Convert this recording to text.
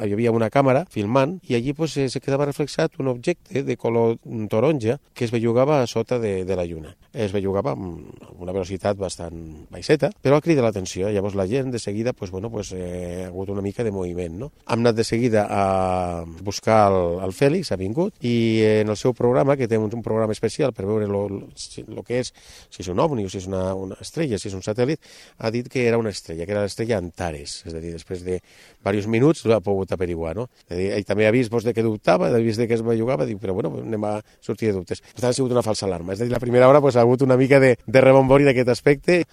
hi havia una càmera filmant i allí pues, se quedava reflexat un objecte de color taronja que es bellugava a sota de la lluna. Es bellugava amb una velocitat bastant baixeta, però crida l'atenció. Llavors la gent de seguida ha hagut una mica de moviment. No? Hem anat de seguida a buscar el Fèlix, ha vingut, i en el seu programa, que té un programa especial per veure el que és, si és un ovni o si és una estrella, si és un satèl·lit, ha dit que era una estrella, que era l'estrella Antares. És a dir, després de diversos minuts l'ha pogut averiguar. No? És a dir, ell també ha vist de que dubtava, ha vist que es bellugava, diu, però bueno, anem a sortir de dubtes. Per tant, ha sigut una falsa alarma. És a dir, la primera hora ha hagut una mica de rebombori d'aquest aspecte.